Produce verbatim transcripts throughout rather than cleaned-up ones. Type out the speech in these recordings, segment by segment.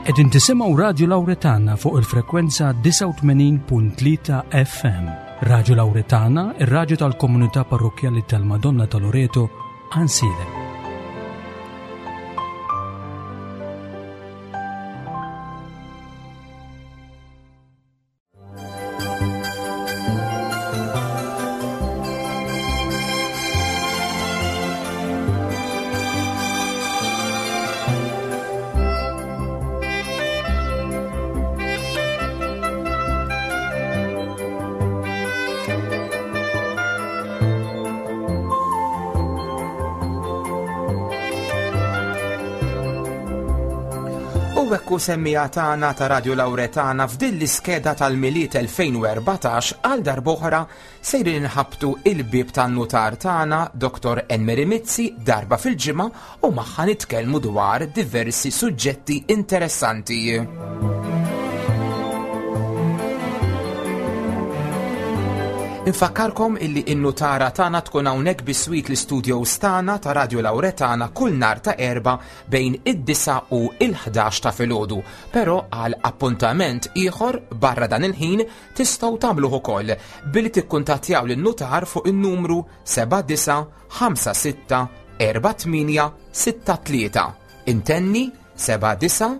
Qegħdin tisimgħu Radio Lauretana fuq il-frekwenza disgħa u tmenin punt tlieta F M. Radio Lauretana, ir-radju tal-komunità parrokkjali tal-Madonna ta' Loreto, Għajnsielem. U hekk semmija tagħna ta' Radio Lauretana f'din l-iskeda tal-Milied elfejn u erbatax għal darb'oħra sejrin inħabtu il-bieb tan-nutar tagħna Doktor Enmeri Mizzi darba fil-ġimgħa u magħha nitkellmu dwar diversi suġġetti interessanti. Infakkarkom illi in-nutara tagħna tkun hawnhekk biswit l-istudios tagħna ta' Radio Lauretana kull nhar ta' Erbgħa bejn id-disa u l-ħdax ta' filgħodu. Però għal appuntament ieħor barra dan il-ħin tistgħu tagħmluh ukoll billi tikkuntattjaw lin-nutar fuq in-numru seba' disa' ħamsa sitta erba' tmienja sitta tlieta. Intenni seba' disa'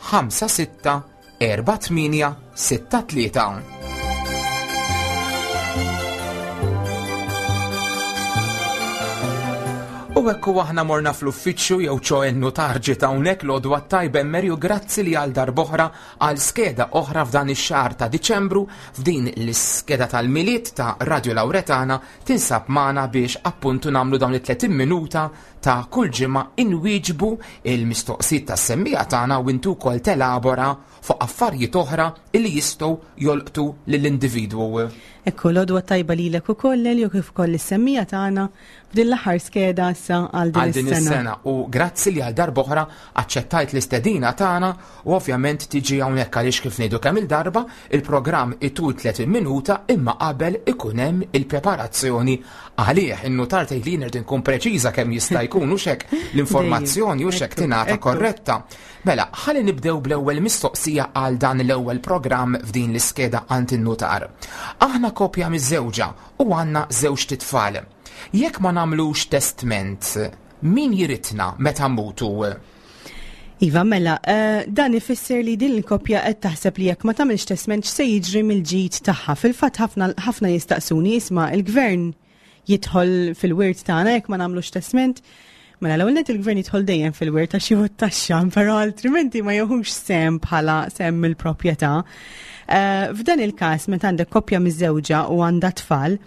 ħamsa sitta erba' tmienja sitta tlieta. U hekk u aħna morna fl-uffiċċju jew ċo n-nutar ġiet hawnhekk l-għodwa t-tajba Mary u grazzi li għal darb'oħra għal skeda oħra f'dan ix-xahar ta' Diċembru f'din l-iskeda tal-Milied ta' Radio Lauretana tinsab magħna biex appuntu nagħmlu dawn it-tletin minuta ta' kull ġimgħa inwieġbu il-mistoqsijiet tas-semmija tagħna u intu wkoll telabora fuq affarijiet oħra illi jistgħu jolqtu lill-individwu. Ekku, l-għodwa tajba lilek ukoll, Elio, kif ukoll is-semmija tagħna f'din l-aħħar skeda issa għal din Għal din is-sena. is-sena. U grazzi li għal darb'oħra aċċettajt l-istedina tagħna u ovvjament tiġi hawnhekk għaliex kif ngħidu kemm il-darba il-programm itul tletin minuta imma qabel ikun hemm il-preparazzjoni għalih. In-nutar tgħid li nrid inkun preċiża kemm jista' jkun u xek l-informazzjoni u xek Ekku, tingħata ekku. korretta. Mela, ħalli nibdew bl-ewwel mistoqsija għal dan l-ewwel programm f'din l-iskeda għand in-nutar. Aħna kopja miż-żewġa u għandna żewġ titfal. Jekk ma nagħmlux testment, min jiritna meta mmutu? Iva, mela, eh, dan ifisser li din il-koppja qed taħseb li jekk ma tagħmilx testment x'se jiġri mill-ġid tagħha. Fil-fatt ħafna, ħafna jistaqsuni, isma' il-gvern jidħol fil-wirt tagħna jekk ma nagħmlux testment. Mela, l-ewwel nett il-gvern jidħol dejjem fil-wirt għax jieħu t-taxxa, però altrimenti ma jieħux sehem bħala sehem mill-proprjetà. Eh, f'dan il-każ meta għandek koppja miżżewġa u għandha tfal,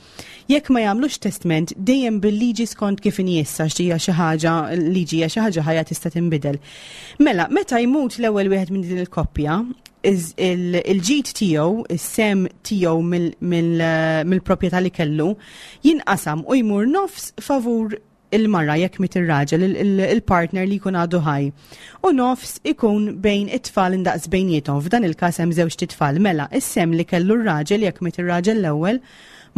jekk ma jagħmlux testment dejjem bil-liġi skont kif inhi issa, għax hija xi ħaġa, liġi hija xi ħaġa ħajja tista' tinbidel. Mela, meta jmut l-ewwel wieħed minn din il-koppja, iż-, il-, il-ġid tiegħu, is-sem tiegħu mill-, mill-, mill-proprjetà li kellu, jinqasam u jmur nofs favur il-mara jekk miet ir-raġel, il-, il-, il-partner li jkun għadu ħaj. U nofs ikun bejn it-tfal indaqs bejniethom. F'dan il-każ hemm żewġ titfal. Mela, is-sem li kellu r-raġel jekk miet ir-raġel l-ewwel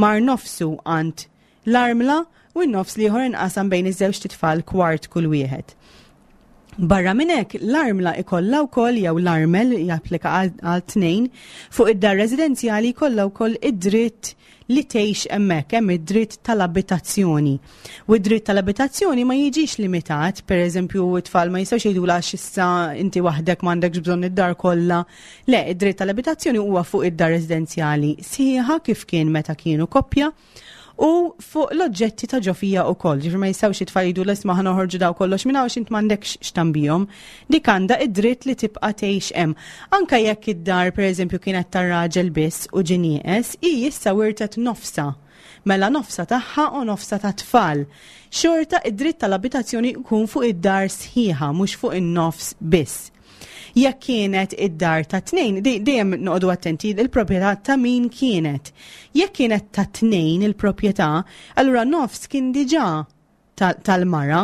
mar nofsu għand l-armla u n-nofs li ieħor inqasam bejn iż-żewġ titfal kwart kull wieħed. Barra minn hekk, l-armla ikollha wkoll jew l-armel japplika għal, għal tnejn fuq id-dar residenzjali jkollha wkoll id-dritt li tgħix hemmhekk, hemm id-dritt tal-abitazzjoni. U id-dritt tal-abitazzjoni ma jiġix limitat, pereżempju it-tfal ma jistgħux jgħidulha għax issa inti waħdek m'għandekx bżonn id-dar kollha. Le, id-dritt tal-abitazzjoni huwa fuq id-dar residenzjali sħiħa kif kien meta kienu koppja u fuq l-oġġetti ta' ġofija u koll. Ġifieri ma jistgħux it-tfal jgħidu l-isma' ħa noħorġu daw kollox minn hawn għax int m'għandekx x'tambihom. Dik għandha id-dritt li tibqa' tgħix hemm. Anka jekk id-dar pereżempju kienet tar-raġel biss u ġie nieqes, hi issa wirtet nofsa. Mela nofsa tagħha u nofsa ta' tfal. Xorta id-dritt tal-abitazzjoni jkun fuq id-dar sħiħa, mhux fuq in-nofs biss. Jekk kienet id-dar ta' tnejn, dej-, dejjem noqogħdu attenti, il-proprjetà ta' min kienet. Jekk kienet ta' tnejn il-proprjetà, allura nofs kien diġà ta-, tal-mara.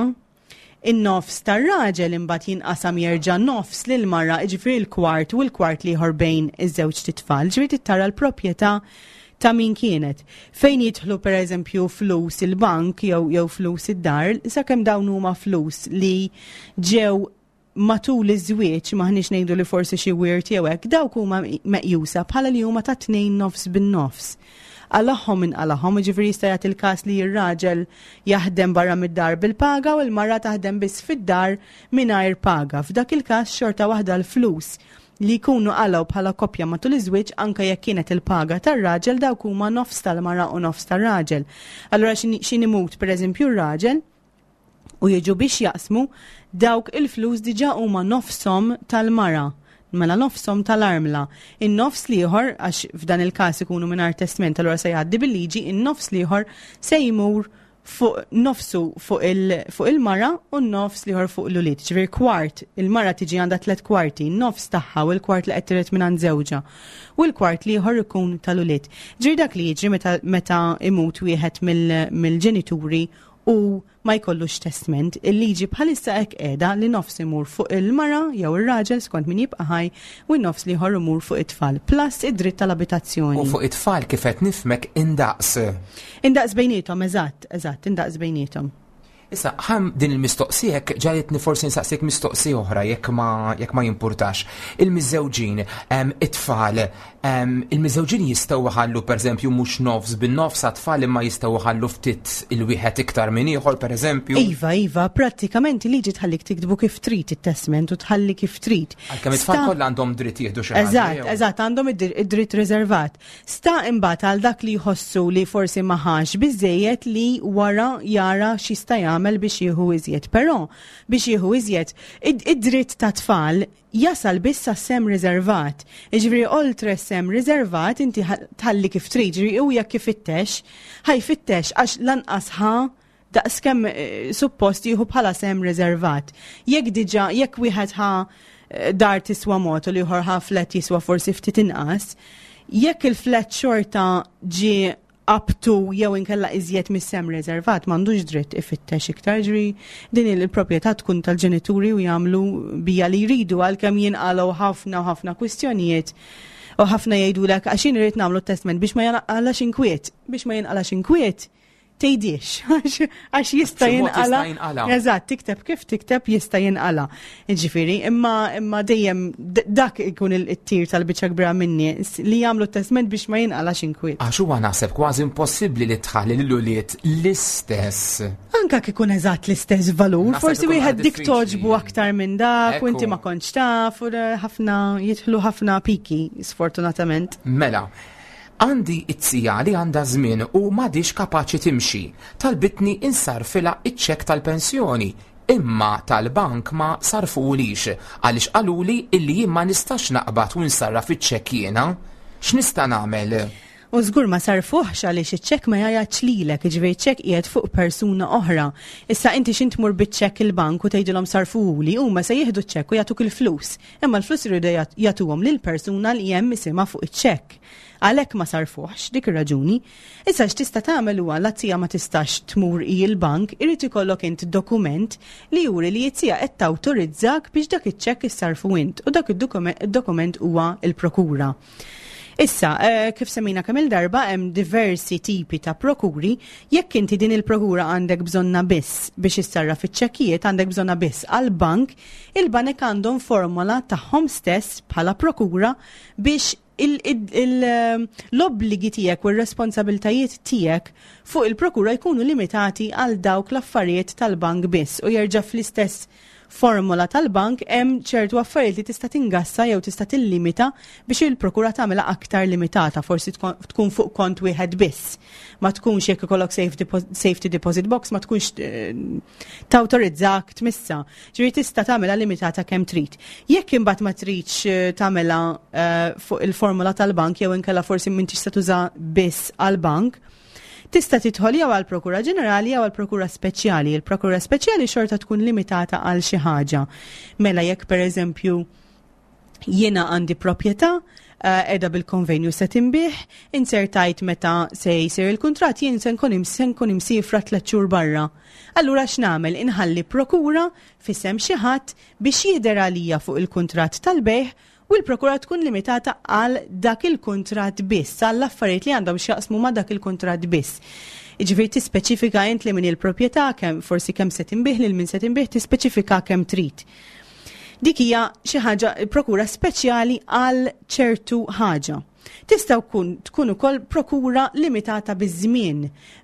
In-nofs tar-raġel imbagħad jinqasam jerġa' nofs lil mara, jiġifieri l-kwart u l-kwart l-ieħor bejn iż-żewġ titfal. Ġifieri tara l-proprjetà ta' min kienet. Fejn jidħlu pereżempju flus il-bank jew, jew flus id-dar, sakemm dawn huma flus li ġew matul iż-żwieġ, maħniex ngħidu li forsi xi wirt jew hekk, dawk huma meqjusa bħala li huma ta' tnejn nofs bin-nofs. Qalagħhom min qalagħhom, ġifieri jista' jagħti il-każ li r-raġel jaħdem barra mid-dar bil-paga u l-mara taħdem biss fid-dar mingħajr paga. F'dak il-każ xorta waħda l-flus li jkunu qalgħu bħala koppja matul iż-żwieġ, anke jekk kienet il-paga tar-raġel, dawk huma nofs tal-mara u nofs tar-raġel. Allura x'ħin imut, pereżempju, r-raġel u jiġu biex jaqsmu, dawk il-flus diġà huma nofshom tal-mara. Mela nofshom tal-armla. In-nofs l-ieħor, għax f'dan il-każ ikunu mingħajr testment, allura se jgħaddi bil-liġi, in-nofs l-ieħor se jmur fuq nofsu fuq il-mara u nofs l-ieħor fuq l-ulied. Ġifieri kwart, il-mara tiġi għandha tliet kwarti, nofs tagħha u l-kwart li qed tiret minn żewġha. U l-kwart l-ieħor ikun tal-ulied. Ġifieri dak li jiġri meta, meta imut wieħed mill-ġenituri u ma jkollux testament. Il-liġi bħalissa hekk qiegħda, li nofs imur fuq il-mara jew ir-raġel skont min jibqa' ħaj u n-nofs l-ieħor imur fuq it-tfal. Plus id-dritt tal-abitazzjoni. U fuq it-tfal, kif qed nifhmek, indaqs. Indaqs bejniethom, eżatt, eżatt, indaqs bejniethom. Issa, ħam din il-mistoqsija ġagħlitni forsi nsaqsik mistoqsija oħra, jekk ma jekk ma jimpurtax. Il-miżżewġin, it-tfal, il-miżżewġin jistgħu ħallu, pereżempju, mhux nofs bin-nofs għat-tfal, imma jistgħu ħallu ftit il-wieħed iktar minn ieħor, pereżempju? Iva, iva, pratikament liġi tħallik tiktbu kif trid it-testament u tħalli kif trid. Għalkemm it-tfal kollha għandhom dritt jieħdu xi ħaġa. Eżatt, eżatt, għandhom id-dritt riservat. Sta imbagħad għal dak li jħossu li forsi ma ħax biżejjed li wara jara x'jista' jagħmel biex jieħu iżjed. Però biex jieħu iżjed, id-dritt ta' tfal jasal biss sehem riservat. Ġifieri oltre sehem riservat inti tħalli kif trid, ġifieri u jekk ifittex, ħa jfittex għax lanqas ħa daqs kemm eh, suppost jieħu bħala sehem riservat. Jekk diġà, jekk wieħed ħa eh, dar tiswa mod u l-ieħor ħa flat jiswa forsi ftit inqas, jekk il-flat xorta ġi up to jew inkella iżjed mis-sehem riservat, m'għandux dritt ifittex iktar. Ġri din il-proprjetà tkun tal-ġenituri u jagħmlu bija li jridu, għalkemm jinqalgħu ħafna u ħafna kwistjonijiet u ħafna jgħidulek għax jien irid nagħmlu testament biex ma jinqalax inkwiet, biex ma jinqalax inkwiet tgħidix, għax jista' jinqala. Eżatt, tikteb kif tikteb jista' jinqala. Ġifieri, imma imma dejjem dak ikun il-tir tal-biċċa kbira minni li jagħmlu testament biex ma jinqalax inkwiet. Għax huwa naħseb kważi impossibbli li tħalli lil l-istess. Anka kikun eżatt l-istess valur, forsi wieħed dik togħġbu aktar minn dak u inti ma kontx taf u ħafna jidħlu ħafna piki, sfortunatament. Mela, għandi it-zija li għandha żmien u m'għadix kapaċi timxi. Talbitni insarfilha iċ-ċekk tal-pensjoni, imma tal-bank ma sarfulix għaliex qaluli illi jien ma nistax naqbad u nsarraf iċ-ċekk jiena. X'nista' nagħmel? U żgur ma sarfuħx għaliex iċ-ċekk ma jgħajjatx lilek, jiġifieri ċekk qiegħed fuq persuna oħra. Issa inti x'int tmur biċ-ċekk il-bank u tgħidilhom sarfuhuli, huma se jieħdu ċ-ċekk u jagħtuk il-flus. Imma l-flus iridu jagħtuhom lil persuna li hemm isimha fuq iċ-ċekk. Għalhekk ma sarfuħx, dik ir-raġuni. Issa x'tista' tagħmel huwa la ma tistax tmur il-bank, irid ikollok int dokument li juri li z-zija qed tawtorizzak biex dak iċ-ċekk issarfu int u dak id-dokument huwa il-prokura. Issa, eh, kif semmejna kemm il-darba, hemm diversi tipi ta' prokuri. Jekk inti din il-prokura għandek bżonnha biss biex issarraf iċ-ċekkijiet, għandek bżonnha biss għal-bank, il-banek għandhom formola tagħhom stess bħala prokura biex l-obbligi tiegħek u r-responsabiltajiet tiegħek fuq il-prokura jkunu limitati għal dawk l-affarijiet tal-bank biss. U jerġa' fl-istess formola tal-bank hemm ċertu affarijiet li tista' tingassa jew tista' tillimita biex il-prokura tagħmilha aktar limitata, forsi tkun fuq kont wieħed biss. Ma tkunx, jekk ikollok safety deposit box, ma tkunx eh, tawtorizzak tmissa. Ġifieri tista' tagħmilha limitata kemm trid. Jekk imbagħad ma tridx eh, tagħmilha eh, fuq il-formola tal-bank jew inkella forsi m'intix se tuża biss għall-bank, tista' tidħol jew għal Prokura Ġenerali jew għal Prokura Speċjali. Il-Prokura Speċjali xorta tkun limitata għal xi ħaġa. Mela jekk, pereżempju, jiena għandi proprjetà eh, edha bil-konvenju se tinbiegħ, inzertajt meta se jsir il-kuntratt jien se nkun se nkun imsifra tliet xhur barra. Allura x'nagħmel? Inħalli prokura f'isem xi ħadd biex jidher għalija fuq il-kuntratt tal-bejgħ u l-prokura tkun limitata għal dak il-kuntratt biss, għall affarijiet li għandhom x'jaqsmu ma' dak il-kuntratt biss. Jiġifieri tispeċifika int li min il-proprjetà, kemm forsi kemm se tinbiegħ, lil min se tinbiegħ, tispeċifika kemm trid. Dik hija xi ħaġa, prokura speċjali għal ċertu ħaġa. Tista' tkun tkun ukoll prokura limitata biż-żmien.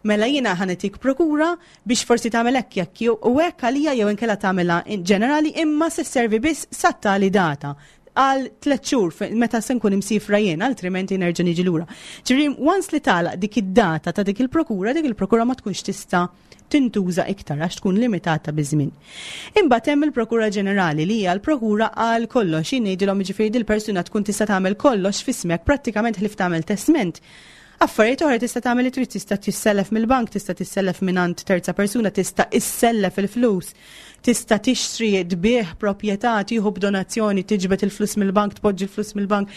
Mela jiena ħa nagħtik prokura biex forsi tagħmel hekk jekk jew u hekk għalija, jew inkella tagħmilha in ġenerali imma se sservi biss sat-tali data għal tliet xhur fe- meta se nkun imsifra jien, altrimenti nerġa' niġi lura. Ġifieri once li tagħlaq dik id-data ta' dik il-prokura, dik il-prokura ma tkunx tista' tintuża iktar għax tkun limitata biż-żmien. Imbagħad hemm il-Prokura Ġenerali li hija l-prokura għal kollox. Jien ngħidilhom, jiġifieri dil-persuna tkun tista' tagħmel kollox f'ismek, prattikament ħlief tagħmel testment. Affarijiet oħra tista' tagħmel li trid, tista' tissellef mill-bank, tista' tissellef mingħand terza persuna, tista' issellef il-flus, tista' tixtri, tbigħ proprjetà, tieħu b'donazzjoni, tiġbed il-flus mill-bank, tpoġġi l-flus mill-bank.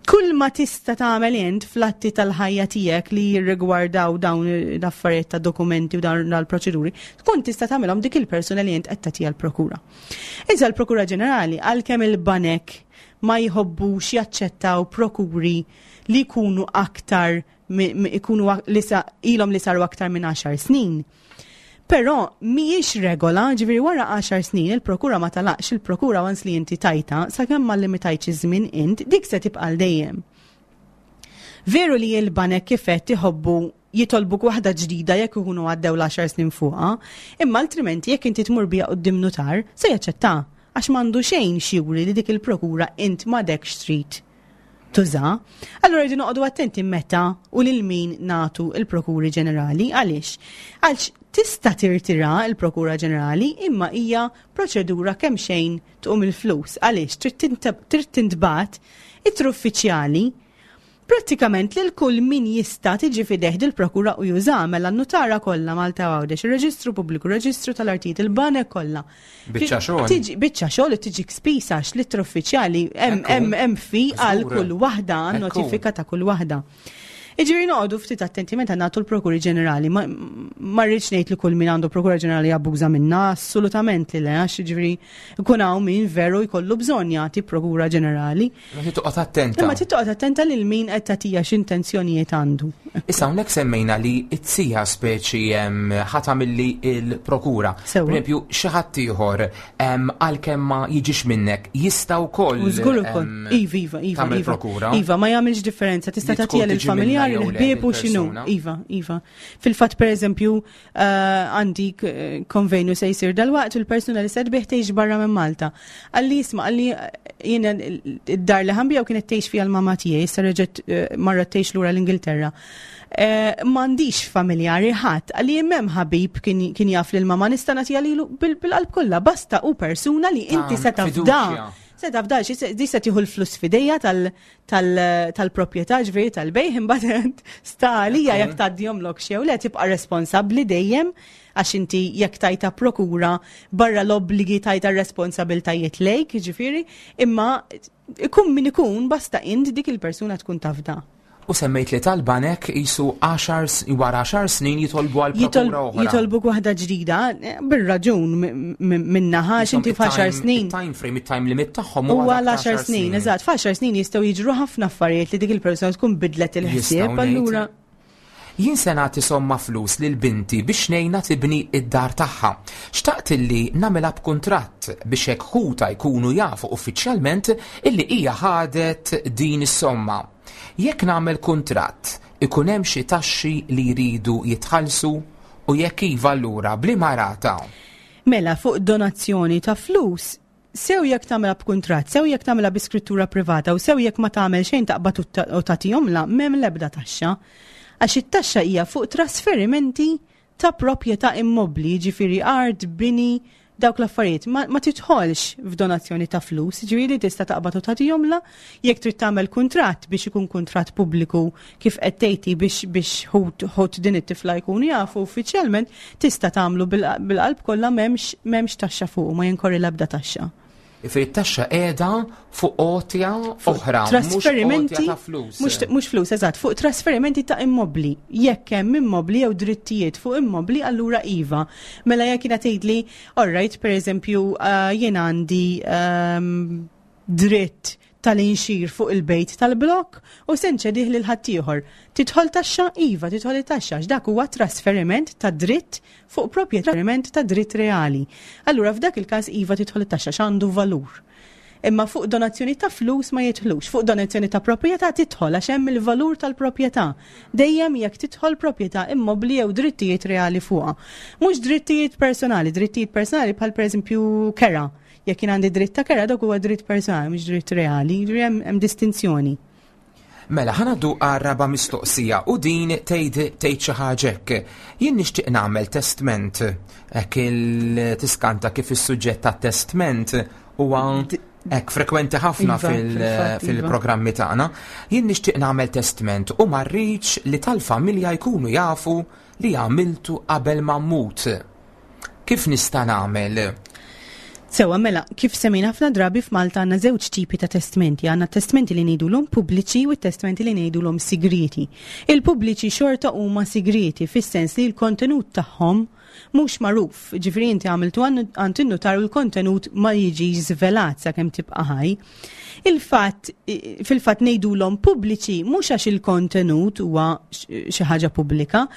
Kull ma tista' tagħmel int fl-atti tal-ħajja tiegħek li jirrigwardaw dawn l-affarijiet ta' dokumenti u dawn l-proċeduri, tkun tista' tagħmelhom dik il-persuna li int qed tagħtiha l-prokura. Iżda l-Prokura Ġenerali, għalkemm il-banek ma jħobbux jaċċettaw prokuri li jkunu aktar mi- mi- ikunu ak- li sa, ilhom li saru aktar minn għaxar snin. Però mhijiex regola, ġifieri wara għaxar snin il-prokura ma tagħlaqx. Il-prokura, once li inti tajta, sakemm ma limitajtx iż-żmien int, dik se tibqa' għal dejjem. Veru li l-banek kifet iħobbu jitolbuk waħda ġdida jekk ikunu għaddew l-għaxar snin fuqha, imma altrimenti jekk inti tmur biha quddiem nutar, se jaċċetta għax m'għandu xejn x'juri li dik il-prokura int m'għadekx trid tuża. Allura rridu noqogħdu attenti meta u lil min nagħtu il-prokuri ġenerali. Għaliex? Għalx tista' tirtira il-Prokura Ġenerali, imma hija proċedura kemm xejn tqum il-flus. Għaliex trid tinteb- trid tintbagħat ittra uffiċjali prattikament lil kull min jista' tiġi f'idejh dil-prokura u juża, mela n-nutara kollha Malta Għawdex, ir-Reġistru Pubbliku, ir-Reġistru tal-Artijiet, il-banek kollha. Biċċa xogħol. Tiġi biċċa xogħol u tiġi spiża għax l-ittra uffiċjali hemm Ekku. hemm hemm fi għal Żgur. kull waħda, Ekku. notifika ta' kull waħda. Iġifieri noqogħdu ftit attenti meta nagħtu l-Prokuri Ġenerali. Ma ma rridx ngħid li kull min għandu Prokura Ġenerali jabbuża minna, assolutament li le, għax jiġifieri ikun hawn min veru jkollu bżonn jagħti Prokura Ġenerali. Ma trid toqgħod attenta. Imma trid toqgħod attenta lil min qed tagħtiha, x'intenzjonijiet għandu. Issa hawnhekk semmejna li it-sija speċi em, ħa tagħmilli il-prokura. Sewwa. Per eżempju, xi ħadd ieħor em, għalkemm ma jiġix minnek jista' wkoll U żgur ukoll. em, Iva, iva, iva. tagħmel Iva. prokura. Iva, ma jagħmilx differenza. Tista' Li tkun tagħtiha tiġi lill-familjari, minna jew le, l-ħbieb u x'inhu. lill-persuna. Iva, iva. Fil-fatt, pereżempju, eh, għandi eh, konvenju se jsir dalwaqt u l-persuna li se tbigħ tgħix barra minn Malta. Qalli, isma', qalli eh, jiena id-dar li ħa nbigħ kienet tgħix fiha l-mama tiegħi, issa reġgħet eh, marret tgħix lura l-Ingilterra. Eh, M'għandix familjari ħadd, qalli hemm ħabib kien kien jaf lil mama, nista' nagħtiha lilu bil- bil-qalb kollha, basta u persuna li inti se tafda. Fiduċja. Se tafda, xi se- di se tieħu l-flus f'idejha tal-proprjetà, ġifieri tal-bejgħ, imbagħad sta għalija jekk tgħaddihomlok jew le. Tibqa' responsabbli dejjem għax inti jekk tajta prokura, barra l-obbligi tajta responsabiltajiet lejk, ġifieri, imma ikun min ikun, basta int dik il-persuna tkun tafda. U semmejt li tal-banek jisu għaxar s- wara għaxar snin jitolbu għal Jitol- prokura oħra. Jitolbuk waħda ġdida, eh, bir-raġun minnaħa, Jisom inti f'għaxar il-time- snin. Il-time frame, il-time limit tagħhom Huwa huwa dak l-għaxar ta' snin, eżatt, f'għaxar snin jistgħu jiġru ħafna affarijiet li dik il-persuna tkun bidlet il-ħsieb, Jistgħu allura ngħid. Jien se nagħti somma flus lil binti biex ngħinha tibni id-dar tagħha. Xtaqt illi nagħmilha b'kuntratt biex hekk ħuta jkunu jafu uffiċjalment illi hija ħadet din is-somma. Jekk nagħmel kuntratt, ikun hemm xi taxxi li jridu jitħallsu, u jekk iva, allura b'liema rata? Mela fuq donazzjoni ta' flus, sew jekk tagħmilha b'kuntratt, sew jekk tagħmilha bi skrittura privata u sew jekk ma tagħmel xejn, taqbad u ta- u tagħtihomla, m'hemm l-ebda taxxa. Għax it-taxxa hija fuq trasferimenti ta' proprjetà immobbli, ġifieri art, bini, dawk l-affarijiet. Ma, ma titħolx f'donazzjoni ta' flus, ġifieri tista' taqbad u tagħtihomla. Jekk trid tagħmel kuntratt biex ikun kuntratt pubbliku kif qed tgħidi biex biex ħut ħut din it-tifla jkunu jafu uffiċjalment, tista' tagħmlu bil- bil-qalb kollha, m'hemmx m'hemmx taxxa fuq, ma jinkorri l-ebda taxxa. Jiġifieri t-taxxa qiegħda fuq għotja oħra, mhux Trasferimenti għotja ta' flus. Mhux mhux flus, eżatt, fuq trasferimenti ta' immobli. Jekk hemm immobli jew drittijiet fuq immobli, allura iva. Mela jekk jiena tgħidli, all right, pereżempju, uh, jien għandi um, dritt tal-inxir fuq il-bejt tal-blok u se nċedih lil ħaddieħor. Tidħol taxxa? Iva, tidħol it-taxxa, għax dak huwa trasferiment ta' dritt fuq proprjetà, ta' dritt reali. Allura f'dak il-każ iva, tidħol it-taxxa x'għandu valur. Imma fuq donazzjoni ta' flus ma jidħlux, fuq donazzjoni ta' proprjetà tidħol għax hemm il-valur tal-proprjetà. Dejjem jekk tidħol proprjetà immobli jew drittijiet reali fuqha. Mhux drittijiet personali, drittijiet personali bħal pereżempju kera. Jekk jien għandi dritt ta' kera, dak huwa dritt personali, mhux dritt reali, jiġifieri hemm hemm distinzjoni. Mela, ħa ngħaddu għar-raba' mistoqsija u din tgħid tgħid xi ħaġa hekk. Jien nixtieq nagħmel testment. Hekk il-tiskanta kif is-suġġett tat-testment huwa hekk frekwenti ħafna Iva, fil- fil-fatt, iva. fil-programmi tagħna. Jien nixtieq nagħmel testment u ma rridx li tal-familja jkunu jafu li għamiltu qabel ma mmut. Kif nista' nagħmel? Sewa, mela, kif semmejna ħafna drabi, f'Malta għandna żewġ tipi ta' testmenti. Għandna testamenti li ngħidulhom pubbliċi u testamenti li ngħidulhom sigriti. Il-pubbliċi xorta huma sigriti fis-sens li l-kontenut tagħhom mhux magħruf. Ġifieri inti għamiltu għand in-notar u l-kontenut ma jiġi żvelat sakemm tibqa' ħaj. Il-fatt, fil-fatt ngħidulhom pubbliċi mhux għax il-kontenut huwa xi ħaġa pubblika,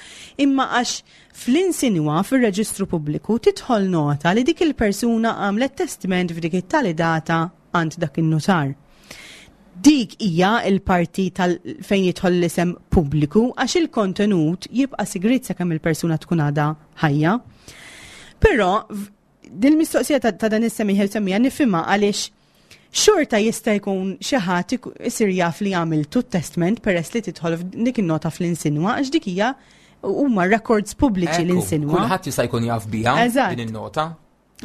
imma għax fl-insinwa fir-reġistru pubbliku tidħol nota li dik il-persuna għamlet testament f'dik it-tali data għand dak in-notar. Dik hija il-parti tal fejn jidħol l-isem pubbliku, għax il-kontenut jibqa' sigrit sakemm il-persuna tkun għadha ħajja. Però din mistoqsija ta', ta dan is-semmiegħ semmija nifhimha, għaliex xorta jista' jkun xi ħadd isir jaf li għamiltu testament peress li tidħol dik in-nota fl-insinwa, għax dik hija huma records pubbliċi l-insinwa. Kulħadd jista' jkun jaf biha din in-nota.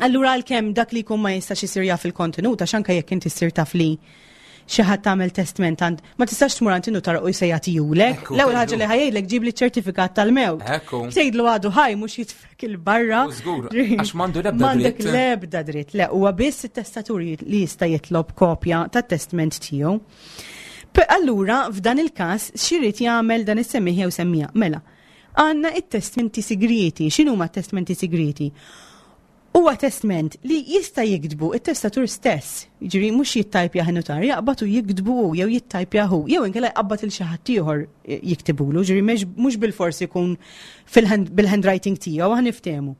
Allura għalkemm dak li jkun ma jistax isir jaf il-kontenut, għax anke jekk inti ssir taf li xi ħadd tagħmel testament għand, ma tistax tmur għand in-notar u se jagħtihulek. L-ewwel ħaġa li ħa jgħidlek, "Ġib li ċertifikat tal-mewt." Tgħidlu għadu ħaj, mhux jitfek 'il barra. Żgur, għax m'għandu l-ebda dritt. M'għandek l-ebda dritt. Le, huwa biss it-testatur li jista' jitlob kopja tat-testament tiegħu. Allura, f'dan il-każ, x'irid jagħmel dan is-semmiegħ jew semmiegħa? Mela, għandna it-testamenti sigriti. X'inhuma t-testamenti sigriti? Huwa testament li jista' jiktbu it-testatur stess, jiġifieri mhux jittajpja notar, jaqbad u jiktbu jew jittajpja hu, jew inkella jqabbad il xi ħadd ieħor jiktibulu, ġifieri mhux bilfors ikun bil-handwriting tiegħu, ħa niftehmu.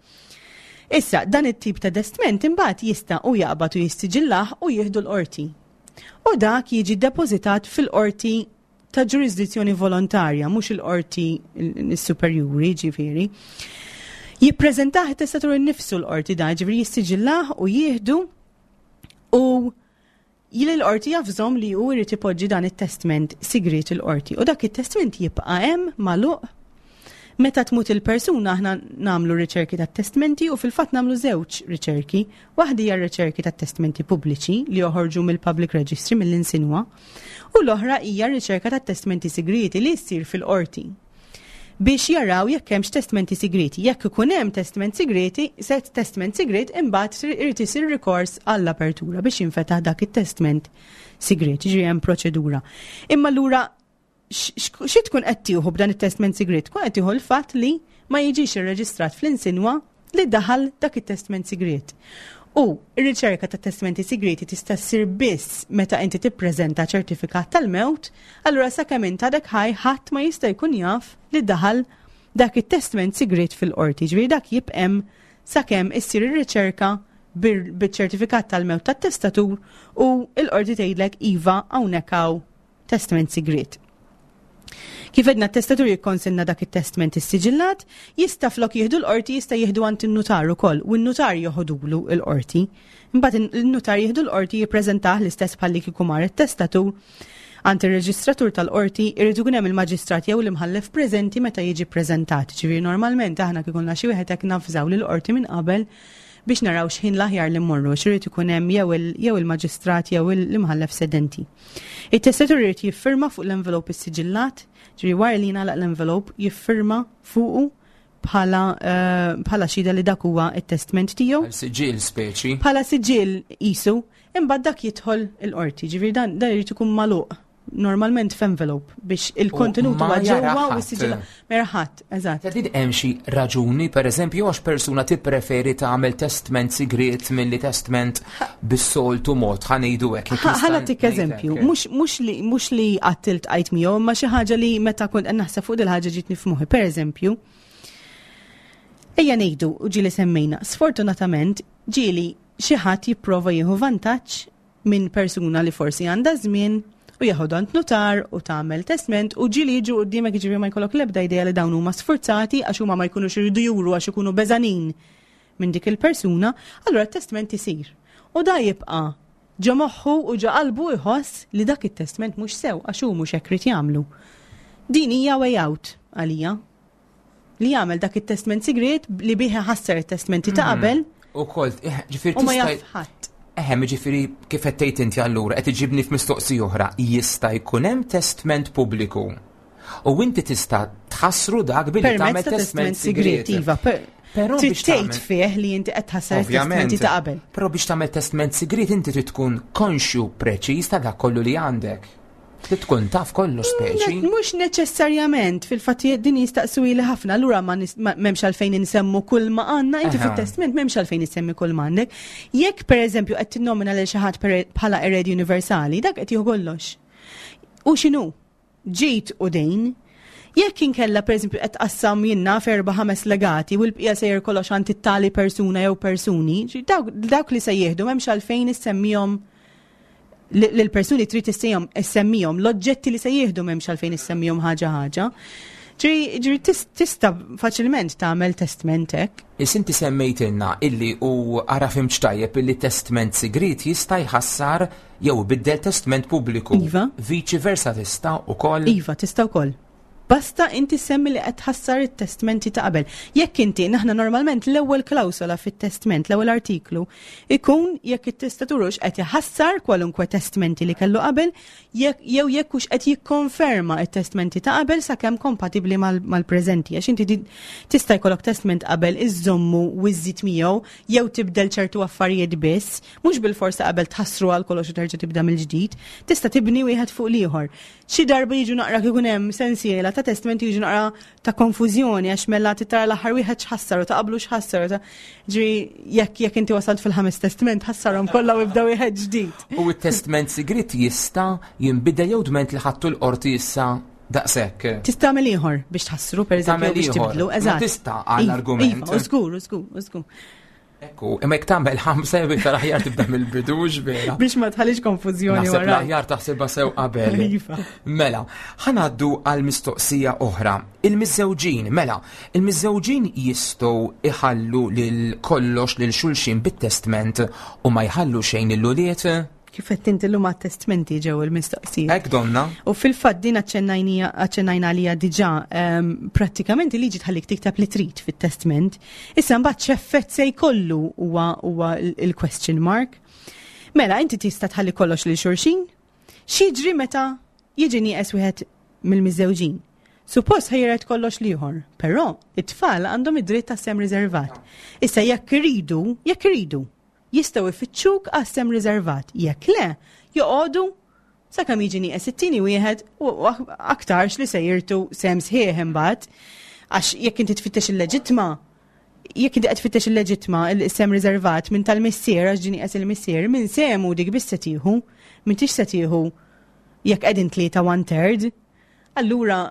Issa, dan it-tip ta' testament imbagħad jista' u jaqbad u jissiġillah u jieħdu l-qorti. U dak jiġi depozitat fil-qorti ta' ġurisdizzjoni volontarja, mhux il-qorti superjuri, ġifieri. Jippreżentah it-testatur innifsu l-qorti da, ġifieri jissiġillah u jieħdu u jili l-qorti javżahom li hu jrid ipoġġi dan it-testament sigrit il-qorti. U dak it-testament jibqa' hemm magħluq. Meta tmut il-persuna, aħna nagħmlu riċerki tat-testmenti u fil-fatt nagħmlu żewġ riċerki. Waħda hija riċerki tat-testmenti pubbliċi li joħorġu mill-Public Registry, mill-insinwa, u l-oħra hija riċerka tat-testmenti sigriti li ssir fil-qorti biex jaraw jekk hemmx testmenti sigriti. Jekk ikun hemm testament sigriti, set testament sigrit, imbagħad irid isir rikors għall-apertura biex jinfetaħ dak it-testament sigrit, ġifieri hemm proċedura. Imma allura xi tkun qed tieħu b'dan it-testament sigrit? Tkun qed tieħu l-fatt li ma jiġix irreġistrat fl-insinwa li daħal dak it-testament sigrit. U r-riċerka ta' testamenti sigriti tista' ssir biss meta inti tippreżenta ċertifikat tal-mewt, allura sakemm int għadek ħaj, ħadd ma jista' jkun jaf li daħal dak it-testament sigrit fil-qorti. Ġifieri dak jibqa' hemm sakemm issir ir-riċerka bil-ċertifikat tal-mewt tat-testatur u l-qorti tgħidlek, "Iva, hawnhekk hawn testament sigrit." Kif għedna, t-testatur jikkonsenna dak it-testament issiġillat, jista' flok jieħdu l-qorti, jista' jieħdu għand in-nutar ukoll u n-nutar joħodulu l-qorti. Imbagħad il-nutar jieħdu l-qorti, jippreżentah l-istess bħalli kieku mar it-testatur għand ir-reġistratur tal-qorti. Irid ikun hemm il-maġistrat jew l-imħallef preżenti meta jiġi preżentat. Ġifieri normalment aħna kif ikollna xi wieħed hekk navżaw lill-qorti minn qabel biex naraw x'ħin l-aħjar li mmorru, x'irid ikun hemm jew il-maġistrat jew l-imħallef sedenti. Il-testatur irid jiffirma fuq l-envelope issiġillat, ġifieri wara li jingħalaq l-envelope jiffirma fuqu bħala eh, bħala xhieda li dak huwa it-testament tiegħu. Bħala siġil speċi. Bħala siġil isu, imbagħad dak jidħol il-qorti, ġifieri dan dan irid ikun magħluq. normalment f'envelope biex il-kontenut huwa ġewwa u s-siġilla. Ma jara ħadd, eżatt. Din hemm xi raġuni, pereżempju, għax persuna tippreferi tagħmel testment sigriet milli testment bis-soltu mod, ħa ngħidu hekk. Ħa nagħtik eżempju, mhux li mhux li qatt iltqajt miegħu, imma xi ħaġa li meta kont qed naħseb fuq dil-ħaġa ġietni f'moħħi. Pereżempju, ejja ngħidu u ġieli semmejna, sfortunatament ġieli xi ħadd jipprova jieħu vantaġġ minn persuna li forsi għandha żmien u jeħodha għand notar u tagħmel testment u ġieli jiġu quddiemek, jiġifieri ma jkollok l-ebda idea li dawn huma sforzati għax huma ma jkunux iridu juru għax ikunu beżanin minn dik il-persuna, allura t-testment isir. U da jibqa' ġo moħħu u ġo qalbu jħoss li dak it-testment mhux sew għax hu mhux hekk irid jagħmlu. Din hija way out għalija. Li jagħmel dak it-testment sigriet li bih ħasser it-testmenti ta' qabel. U kolt, ġifieri u ma jaf ħadd. Eħe, ġifieri kif qed tgħid inti allura qed iġibni f'mistoqsija oħra, jista' jkun hemm testment pubbliku. U inti tista' tħassru dak billi tagħmel testment sigriet. Iva, Però trid biex tgħid tagħmel fih li inti qed tħassar it-testmenti ta' qabel. Però biex tagħmel testment sigriet inti trid tkun konxju preċiż ta' dak kollu li għandek. Trid tkun taf kollu speċi. Mhux neċessarjament, fil-fatt din jistaqsu li ħafna, allura ma m'hemmx għalfejn insemmu kull ma għandna, inti fit-testment m'hemmx għalfejn insemmi kull ma għandek. Jekk pereżempju qed tinnomina lil xi ħadd bħala eredi universali, dak qed jieħu kollox. U x'inhu? Ġid u dejn. Jekk inkella pereżempju qed tqassam jiena f'erba' ħames legati u l-bqija sejjer kollox għand it-tali persuna jew persuni, dawk li se jieħdu m'hemmx għalfejn issemmihom l-persuni trid issemmihom, l-oġġetti li se jieħdu m'hemmx għalfejn issemmihom ħaġa ħaġa. Ġifieri tista' faċilment tagħmel testment hekk. Is inti semmejtilna illi u ara fhimt tajjeb illi testment sigriet jista' jħassar jew ibiddel testment pubbliku. Iva. Viċi versa tista' ukoll. Iva, tista' wkoll. Basta inti semmi li qed tħassar it-testmenti ta' qabel. Jekk inti, naħna normalment l-ewwel klawsola fit-testment, l-ewwel artiklu, ikun jekk it-testatur hux qed iħassar kwalunkwe testmenti li kellu qabel, jew jekk hux qed jikkonferma it-testmenti ta' qabel sakemm kompatibbli mal-preżenti. Għax inti tista' jkollok testment qabel iżommu u żżid miegħu jew tibdel ċertu affarijiet biss, mhux bil-forsa qabel tħassru għal kollox u terġa' tibda mill-ġdid, tista' tibni wieħed fuq l-ieħor. Xi darba jiġu naqra kif hemm sensiela ta' testmenti jiġu naqra ta' konfużjoni għax mela tara l-aħħar wieħed x'ħassar u ta' qablu x'ħassar ta' ġri jekk jekk inti wasalt fil-ħames testment ħassarhom kollha u ibda wieħed ġdid. U t-testment sigriet jista' jinbidel jew dment li ħadtu l-qorti issa daqshekk. Tista' tagħmel ieħor biex tħassru pereżempju biex tibdlu, eżatt. Tista' għall-argument. Iva, żgur, żgur, żgur. Ekku, imma jekk tagħmel ħamsa jew iktar aħjar tibda mill-bidu vera. Biex ma tħallix konfużjoni wara. L-aħjar taħsibha sew qabel. Iva. Mela, ħa ngħaddu għal mistoqsija oħra. Il-miżżewġin, mela, il-miżżewġin jistgħu iħallu lil kollox lil xulxin bit-testment u ma jħallu xejn lill-ulied? Kif qed inti llum għat-testmenti ġew il-mistoqsijiet. Hekk donna. U fil-fatt din aċċennajna għalija diġà, ehm, prattikament il-liġi tħallik tikteb li trid fit-testment. Issa mbagħad x'effett se jkollu huwa huwa il-question mark. Mela inti tista' tħalli kollox lil xulxin? X'jiġri meta jiġi nieqes wieħed mill-miżżewġin? Suppost ħa jiret kollox l-ieħor, però it-tfal għandhom id-dritt ta' sehem riservat. Issa jekk iridu, jekk iridu, jistgħu ifittxuk għas-sehem riservat. Jekk le, joqogħdu sakemm jiġi nieqes it-tieni wieħed u aktarx li se jirtu sehem sħiħ imbagħad. Għax jekk inti tfittex il-leġitma, jekk inti qed tfittex il-leġitma il-sehem riservat minn tal-missier għax ġie nieqes il-missier, minn sehmu dik biss se tieħu, m'intix se tieħu jekk qegħdin tlieta one third. Allura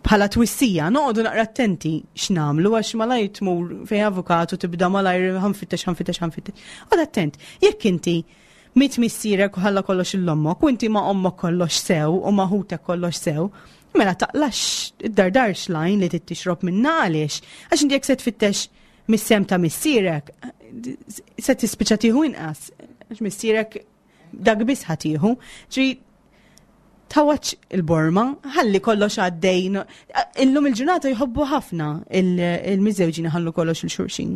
bħala twissija, noqogħdu naqra attenti x'nagħmlu għax malajr tmur fejn avukatu tibda malajr ħa nfittex, ħa nfittex, ħa nfittex. Oqgħod attent, jekk inti miet missierek u ħalla kollox lil ommok u inti ma' ommok kollox sew u ma' ħutek kollox sew, mela taqlax id-dardarx lajn li tixrob minna għaliex. Għax inti jekk se tfittex mis-sehem ta' missierek, se tispiċċa tieħu inqas. Għax missierek dak biss ħa tieħu. Ġi tawaċ il-borma, ħalli kollox għaddej. Illum il-ġurnata jħobbu ħafna il-miżżewġin ħallu kollox lil xulxin.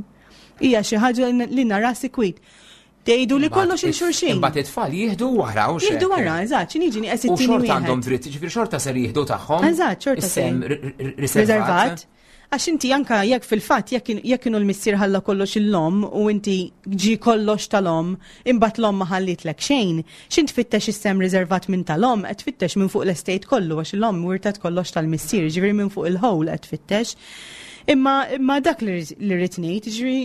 Hija xi ħaġa li nara sikwit. Tgħidu li kollox lil xulxin. Imbagħad it-tfal jieħdu wara u Jieħdu wara, eżatt, x'inhi jiġi nieqes U it-tieni xorta wieħed. għandhom dritt, ġifieri xorta ser jieħdu tagħhom. Eżatt, xorta Is-sehem ser. riservat. Riservat. Għax inti anka jekk fil-fatt jekk jekk kienu l-missier ħalla kollox l-omm u inti ġi kollox tal-omm, imbagħad l-omm ma ħallitlek xejn, x'int tfittex is-sehem riservat minn tal-omm, qed tfittex minn fuq l-estate kollu għax l-omm wirtet kollox tal-missier, ġifieri minn fuq il-whole qed tfittex. Imma imma dak li rrid ngħid, ġifieri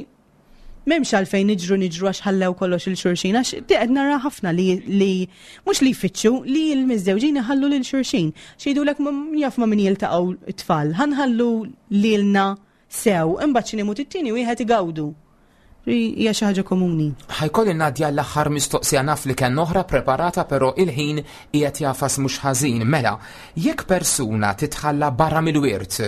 m'hemmx għalfejn niġru niġru għax ħallew kollox lil xulxin, għax qed nara ħafna li li mhux li jfittxu li l-miżżewġin iħallu lil xulxin. X'jgħidulek jaf ma' min jiltaqgħu t-tfal, ħa nħallu lilna sew, imbagħad xi imut it-tieni wieħed igawdu. Hija xi ħaġa komuni. Ħa jkolli ngħaddi l-aħħar mistoqsija, naf li kien oħra preparata, però il-ħin qiegħed jagħfas mhux ħażin. Mela, jekk persuna titħalla barra mill-wirt,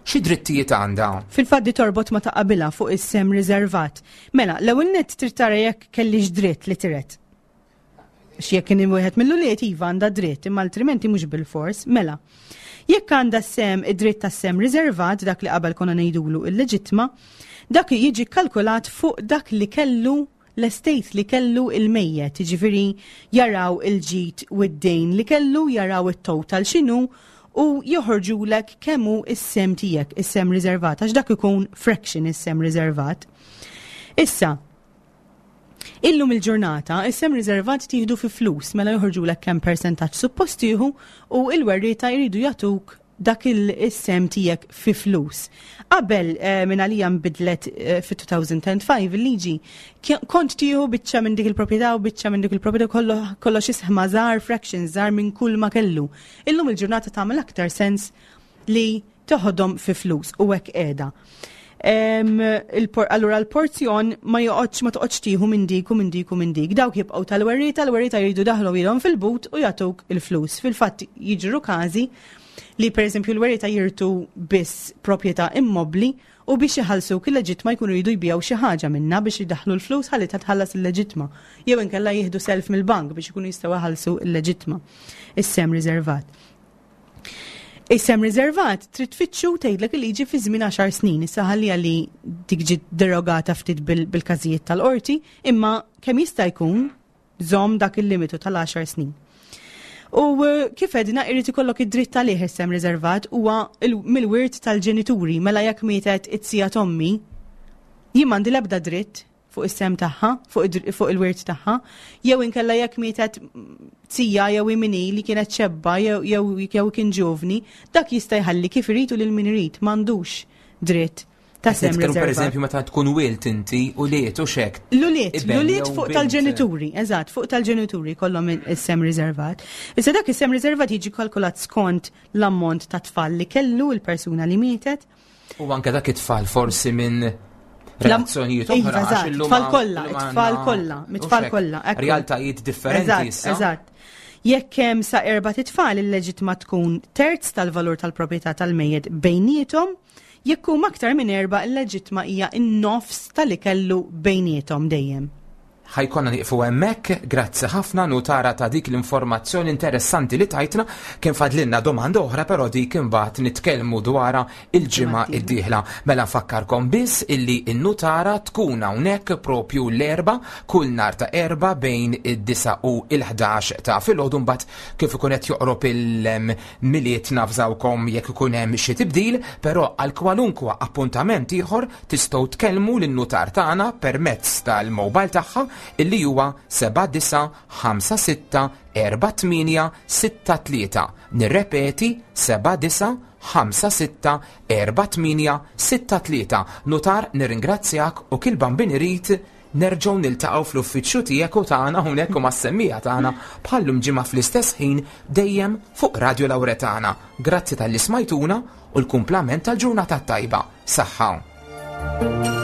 xi drittijiet għandha? Fil-fatt di torbot ma ta' qabilha fuq is-sehem riservat. Mela, l-ewwel nett trid tara jekk kellix dritt li tiret. X'jekk kien wieħed mill-ulied, iva, għandha dritt, imma altrimenti mhux bil-fors. Mela, jekk għandha sehem, id-dritt tas-sehem riservat, dak li qabel konna ngħidulu il-leġitma, dak jiġi kalkulat fuq dak li kellu l-estate li kellu il-mejjet, ġifieri jaraw il-ġid u d-dejn li kellu, jaraw it-total x'inhu u joħorġulek kemm hu is-sehem tiegħek, is-sehem riservat, għax dak ikun fraction, is-sehem riservat. Issa, illum il-ġurnata, is-sehem riservat tieħdu fi flus, mela joħorġulek kemm percentaġġ suppost tieħu u il-werrieta jridu jagħtuk dak il-sehem tiegħek fi flus. Qabel eh, minn għalija nbidlet eh, fi elfejn u ħamsa il-liġi, kont tieħu biċċa minn dik il-proprjetà u biċċa minn dik il-proprjetà, kollox isma' żgħar, fractions żgħar minn kull ma kellu. Illum il-ġurnata tagħmel aktar sens li toħodhom fi flus u hekk qiegħda. Allura l-porzjon ma joqgħodx, ma toqgħodx tieħu minn dik u minn dik u minn dik. Dawk jibqgħu tal-werrieta, l-werrieta jridu daħlu ilhom fil-but u jagħtuk il-flus. Fil-fatt jiġru każi li pereżempju l-werrieta jirtu biss proprjetà immobli u biex iħallsu il-leġitma jkunu jridu jbigħu xi ħaġa minna biex jidaħlu l-flus ħalli titħallas il-leġitma. Jew inkella jieħdu self mill-bank biex ikunu jistgħu jħallsu il-leġitma. Is-sehem riservat. Is-sehem riservat trid tfittxu, tgħidlek il-liġi, fi żmien għaxar snin. Issa ħalli li dik ġiet derogata ftit bil-każijiet tal-qorti, imma kemm jista' jkun żomm dak il-limitu tal-għaxar snin. U eh, kif għedna, irid ikollok id-dritt għalih. Is-sehem riservat huwa mill-wirt tal-ġenituri, mela jekk mietet iz-zija t'ommi, jien m'għandi l-ebda dritt fuq is-sehem tagħha, fuq il-wirt tagħha, jew inkella jekk mietet zija jew imini li kienet xebba jew jew kien ġovni, dak jista' jħalli kif irid u lil min irid, m'għandux dritt ta' sehem. Per eżempju, meta tkun wilt inti u liet u xek. L-ulied, l-ulied fuq tal-ġenituri, eżatt, fuq tal-ġenituri kollhom is-sehem riservat. Issa dak is-sehem riservat jiġi kalkulat skont l-ammont ta' tfal li kellu il-persuna li mietet. U anke dak it-tfal forsi minn relazzjonijiet oħra. Iva, tfal kollha, tfal kollha, mit-tfal kollha. Realtajiet differenti issa. Eżatt. Jekk hemm sa erba' tfal, il-leġitma tkun terz tal-valur tal-proprjetà tal-mejjet bejniethom, jekk huma aktar minn erba', il-leġitma hija n-nofs tal-li kellu bejniethom dejjem. Ħa jkollna nieqfu hemmhekk, grazzi ħafna, nutara, ta' dik l-informazzjoni interessanti li tajtna. Kien fadlilna domanda oħra, però dik imbagħad nitkellmu dwarha il-ġimgħa id-dieħla. Mela nfakkarkom biss illi n-nutara tkun hawnhekk propju l-Erbgħa, kull nhar ta' Erbgħa bejn id-disgħa u il-ħdax ta' filgħodu. Mbagħad kif ikun qed joqrob il-Milied navżawkom jekk ikun hemm xi tibdil, però għal kwalunkwa appuntament ieħor tistgħu tkellmu lin-nutar tagħna permezz tal-mobile tagħha illi huwa seba' disgħa ħamsa sitta erba' tmienja sitta tlieta. Nirrepeti, seba' disgħa ħamsa sitta erba' tmienja sitta tlieta. Nutar, nirringrazzjak u kil-Bambin irid nerġgħu niltaqgħu fl-uffiċċju tiegħek u tagħna hawnhekk u mas-semmiegħa tagħna bħallum ġimgħa fl-istess ħin, dejjem fuq Radio Lauretana. Grazzi talli smajtuna u l-kumplament tal-ġurnata tajba. Saħħa.